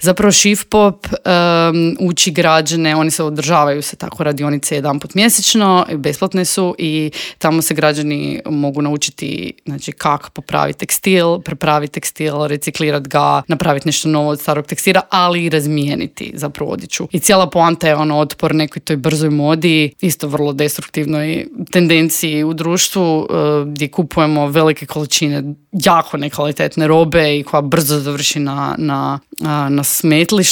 Zapravo Shivpop uči građane, oni se održavaju se tako radionice jedanput mjesečno, besplatne su i tamo se građani mogu naučiti, znači, kako popraviti tekstil, prepraviti tekstil, reciklirati ga, napraviti nešto novo od starog tekstila, ali i razmijeniti zapravo odjeću. I cijela poanta je otpor nekoj toj brzoj modi, isto vrlo destruktivnoj tendenciji u društvu gdje kupujemo velike količine jako nekvalitetne robe i koja brzo završi na smetlištu.